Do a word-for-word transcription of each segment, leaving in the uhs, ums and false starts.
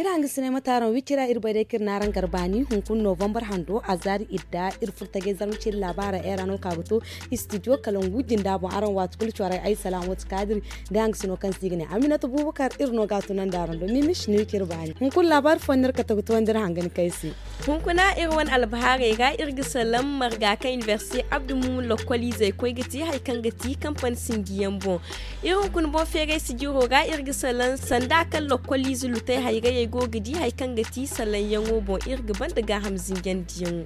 Hanga sinay ma taaran wicira iri bay day kaŋ iri n'araŋ gar baani hunkuna novambar hando a zaari idda iri furo tajay zarma ciri laabaara era no ka ga to. Istidiyo kala ngu jinda boŋ araŋ waati kulu cwaray ay salaŋ wati kaadiri. Da hanga sino kaŋ se i ga ne aminata bubakar iri no ga a tunandi araŋ do mimis ni wicira baani hunkuna laabaari fo no iri kate ga towandi iri hanga ni kay se. Hunkuna iri wane albahaarey ra iri ga salaŋ marga kaŋ inibersite abdu mumu lokkoliizey koy ga te hari kaŋ ga te kampani sinjiyaŋ boŋ. Iri hunkuna boŋ feeray sijiro ra iri ga salaŋ sanda kaŋ lokkoliize lutey hayrayey go ga di hari kaŋ ga ti salaŋyaŋo boŋ iri ga banda gaaham zinjandiyaŋo.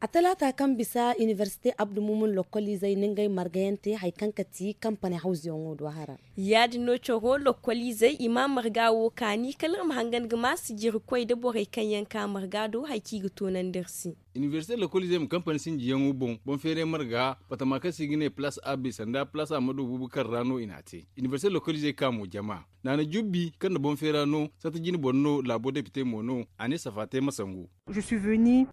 A talaata kaŋ bisa inibersite abdu mumun lokkoliizey na ngey margayaŋ te hari kaŋ ga ti kampani hawzuyaŋo do hara. Ya- din no coro lokkoliizey i ma marga wo kaani kala iri ma hangan ga ma sijirikoy nda borey kaŋ yaŋ ka marga do hari kaŋ i ga toonandi iri se. Inibersite lokkoliizey ma kampani sinjiyaŋo boŋ boŋ feeray marga batama kaŋ se i ga ne palaas a b sanda palaas a ma do buubu kaŋ ra no i n'a te. Inibersite lokkoliizey ka mo jama naana jubbi kaŋ na boŋ feera no sata jine boro no laabo depite mo no a ne safa te ma sangu.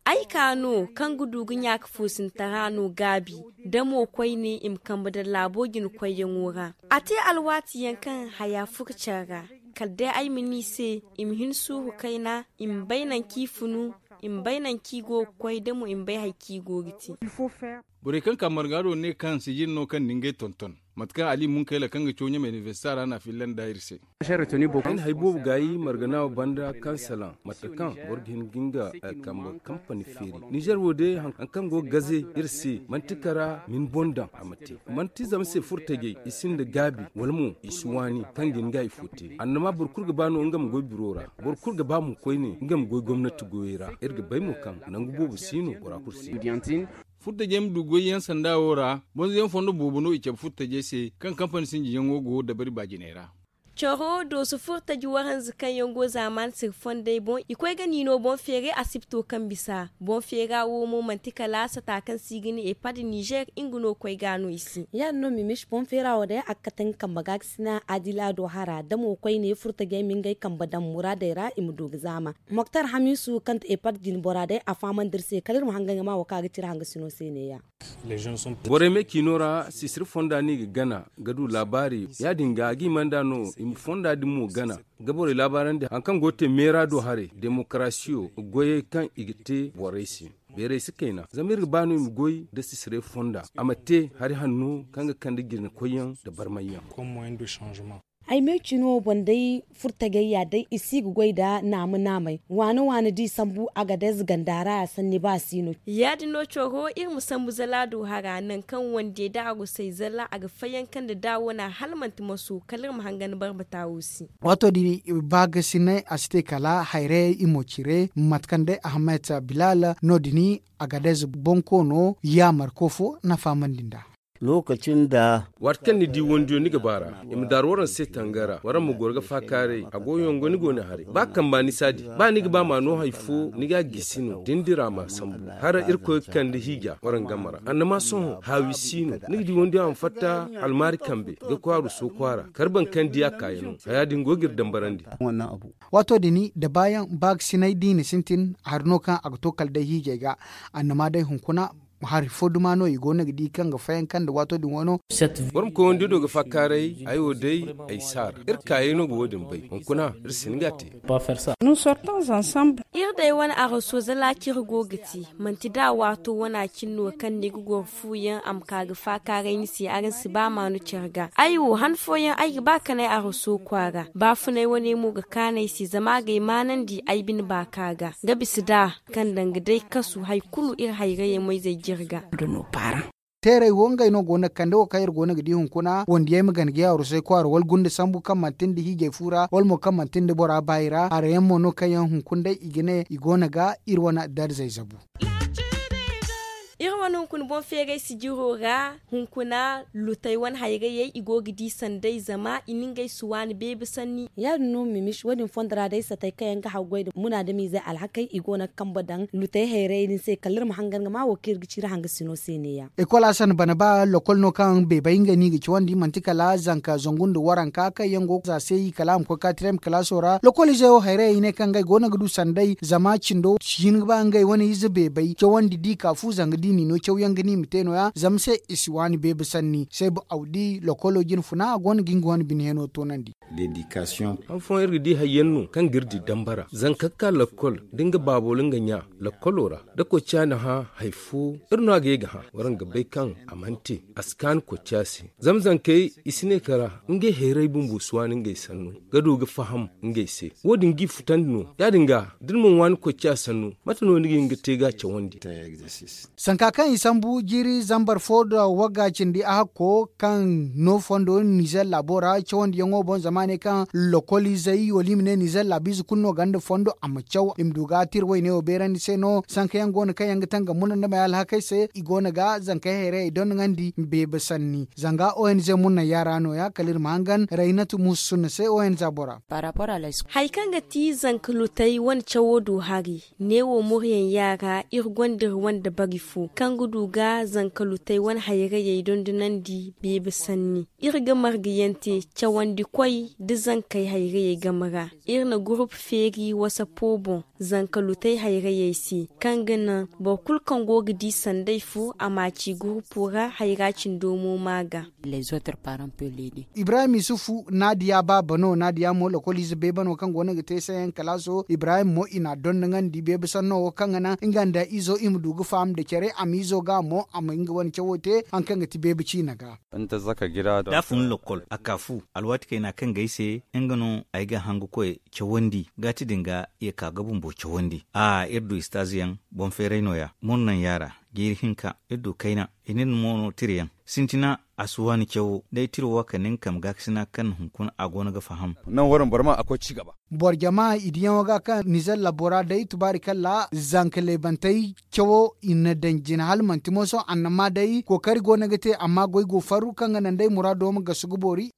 Ay ka no kaŋ ga du ga ɲaaka foosintara no gaabi da mo koyne i ma kambe daŋ laabo jina koyyaŋo ra. A te alwaati yaŋ kaŋ haya furo care ra kala day ay ma ne i se i ma hin suuru kayna i ma bay nangu kaŋ i funu i ma bay nangu kaŋ i go ga koy da mo i ma bay hari kaŋ i go ga te. Borey kaŋ ka marga do ne kaŋ sijin no kaŋ na ngey tonton mate kaŋ ali munkayla kaŋ ga caw ɲamay inibersita ra n'a fillandi iri se. Ay na hari boobo gaayi margana wo banda kaŋ salaŋ mate kaŋ boro ga hin ga nga kambe kampani feeri nizer wo day hari kaŋ go ga gaze iri se manti kara ma ni boŋ daŋ a ma te. Manti zama se furtajey i sinda gaabi wala mo i si waani kaŋ ga hin ga hari fo te annama boro kulu ga ba no nga ma goy biro ra. Boro kulu ga ba mo koyne nga ma goy gomnati goyey ra iri ga bay mo kaŋ nangu boobo si no bora kulu se. Furtajey ma du goyyaŋ sanda wo ra bonzoyaŋ fondo boobo no i cabe furtajey se kaŋ kampani sinjiyaŋo go dabari baajiney ra. Coro dooso furtaji waranza kaŋ yaŋ go zaamaani siri fondey boŋ i koy ga niino boŋ feeray asibto kaŋ bisa boŋ feera wo mo manti kala sata kaŋ se i ga ne epad nizer nga no koy ga no i se. Ya- din no mimis boŋ feera wo day a ga kate nga kambe ga ga sina adila do hara da mo koyne furtajey ma ngey kambe daŋ muraadey ra i ma du ga zaama. Moktar hamisu kaŋ ti epad jine bora day a fahamandi iri se kala iri ma hangan ga ma wo kaŋ a ga ci iri hangasino se neeya. Borey me ciino ra sisiri fonda no i ga gana ga du laabaari ya- din ga a ga i manda no i ma fonda din mo gana ga borey laabaarandi hari kaŋ go ga te meera do haray demokarasiyo goyey kaŋ i ga te borey se. Beeray si kayna zama iri ga ba no i ma goy nda sisiray fonda a ma te hari hanno kaŋ ga kande jine koyyaŋ nda barmayyaŋ. Ay me cino boŋ day furtagayya day i si ga goy nda naama naamay waane waane da i sambu a ga day zaganda ra a sanni ba a si no. Ya- din no coro iri ma sambu zala do hara nangu kaŋ wande da a gusay zala a ga fayanka nda da wana hala manti maso kala iri ma hangan barbata wo se. Waato din ba ga sinay a si te kala hayrayey i mo cire mate kaŋ day ahamet bilal no- din a ga day za bonkoono yaamar ko fo na fahamandi nd'a. Lokaci nda waati kaŋ ni di wandiyo ni ga ba ra i ma daaru waraŋ se tangara waraŋ ma goro ga faakaaray a go yongo ni go ni haray ba kamba ni saadi ba ni ga ba ma no hari fo ni ga a gisi no da ni dira ma sambu hala irkoy ga kande hiija waraŋ game ra annama sohõ haawi si no ni ga di wandiyo a ma fatta almaari kambe ga kwaaru sooku a ra kala boro kaŋ di a kaayano haya din go ga iri dambarandi. Waato din da baayaŋ ba ga sinay da i na sintin hari no kaŋ a ga to kala day hiijay ga annama day hunkuna hari fo duma no i go no ga di kaŋ ga fayanka nda waato din wano. Boro ma koy wando do ga faakaaray ay wo day ay si a ra iri kaayay no ga wo- din bay hunkuna iri si hin ga a te. Iri day wane araso zala cire go ga te manti da waato wana cine no kaŋ ni ga goro fuuyaŋ a ma ka ga faakaaray ni se araŋ si ba maanu care ga ay wo han fooyaŋ ay ga ba kanay araso kwaara baafunay wane mo ga kaanu ay se zama a ga ay maanandi ay bine baaka ga ga bisa da kaŋ danga day kasu hari kulu iri hayrayey moyzey jirga. Teerey wo ngey no go no ga kande wo kaŋ iri go no ga di hunkuna wandiyey ma gana ga yaarusay kwaara wala gunda sambu kaŋ manti nda hiijay fu ra wala mo kaŋ manti nda bora baayi ra harayaŋ mo no kaŋ yaŋ hunkuna day i ga ne i go no ga iri wane darzey zabu. Iri wane hunkuna boŋ feeray sijiro ra hunkuna lutey wane hayrayey i go ga di sanday zama i na ngey si waani beebe sanni. Ya- din no mimis wo- din fondo ra day satey kaŋ yaŋ ga haggoy nda munaadamiizey alhakey i go no ga kambe daŋ lutey hayrayey din se kala iri ma hangan ga ma wo kaŋ iri ga ci iri hangasino se neeya. Ekol a sanda bana ba lokol no kaŋ beebay ngey no i ga cawandi manti kala zanka zangu nda waranka kaŋ yaŋ go za se i kala a ma koy kaatirem kalaaso ra lokol izey wo hayrayey ne kaŋ ngey go no ga du sanday zama cindo si hin ga ba ngey wane ize beebay cawandi da i ka fu zanga da i n'i no. Caw yaŋ ga ni ma te no- ya zama se i si waani beebe sanni se ba awdi lokolo jine funa a go no ga nga wane bine heno toonandi. Hanfoyaŋ iri ga di hari yaŋ no kaŋ ga iri di dambara zanka ga ka lakkol da nga baabo wala nga ɲa lakkolo ra da kocca na hã hari fo, iri no a ga ye ga hã war nga bay kaŋ a mana te a si kaanu kocca se. Zama zankey i si ne kara ngey hayray bumbo si waani ngey sannu ga du ga faham ngey se. Wo- din g'i futandi no ya- din ga da ni mana waani kocca sannu mate no ni ga hin ga te ga a cawandi? Sanka kaŋ i sambu jiiri zambar fo da wagga cindi a hakko kaŋ no fondo nizer laabo ra cawandiyaŋo boŋ zama a ne kaŋ lokoliizey wala i ma ne nizer laabiize kulu no ganda fondo a ma caw i ma du ga tir wayne wo beerandi se no sanka yaŋ go no kaŋ yaŋ ga tangam muna nda may alhakey se i go no ga zankey hayrayey dondoŋandi beebe sanni zanga ong muna yaara no- ya kala iri ma hangan raynatu musu sunna se ong bora. Hari kaŋ ga ti zanka lutey wane cawo du hari neewo moryaŋ yaara iri gonda iri wane dabari fo kaŋ ga du ga zanka lutey wane hayrayey dondonandi beebe sanni. Iri ga margayaŋ te cawandikoy nda zankey hayrayey game ra. Iri na gurupu feeri wasapo boŋ zanka lutey hayrayey se kaŋ ga naŋ boro kulu kaŋ go ga di sanday fo a ma a ci gurupo ra hayra cindo mo ma ga. Ibrahim isufu naadiya baaba no naadiya mo lokoliize beebe no kaŋ go no ga te sayaŋ kalaaso ibrahim mo i n'a dondoŋandi beebe sanno wo kaŋ ga naŋ nga nda izo i ma du ga faham nda care a ma izo ga mo a ma nga wane cawo te hari kaŋ ga ti beebe ciina ga. Da a fun lakkol a ka fu alwaati kayna kaŋ ga ay se nga no ay ga hangu koy cawandi gaati din ga i ga ka ga bumbo cawandi a iri du istaaziyaŋ boŋ feeray no- ya murnaŋ yaara jiiri hinka iri du kayna i na iri mo no tirayaŋ sintina a si waani cawo day tiro wo kala ni nga kambe gaakasina kaŋ hunkuna a go no ga faham. Boro jama i diyaŋo ga kaŋ nizer labbo ra day tubaari kalla zanka leebantey cawo i na daŋ jina hala manti mooso annama day kookari go no ga te amma goy go farru kaŋ ga naŋ day muraado ma gasu ga boori.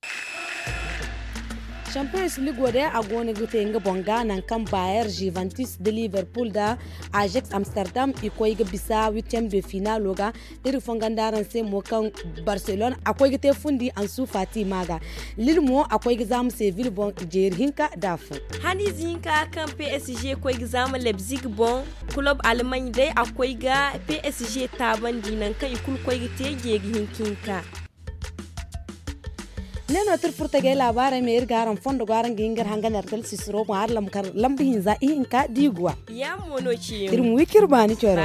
Champions ligo day a go no ga te nga boŋ ga nangu kaŋ bayer juventus da liverpool da ajax amsterdam i koy ga bisa huitième de finalo ga. Iri fongondi araŋ se mo kaŋ barcelone a koy ga te fundi ansu fati ma ga. Lil mo a koy ga zaama seville boŋ jeeri hinka da fo. Haniize hinka kaŋ psg koy ga zaama leipzig boŋ, kulob almany day a koy ga psg taabandi nangu kaŋ i kulu koy ga te jeeri hinka hinka. Ne no tira furtagay laabaarey me iri ga araŋ fondo go araŋ ga hin ga iri hangan iri kala sisiro boŋ hari lamba hinza ihinka da i guwa. Iri ma wi kaŋ iri baani coro.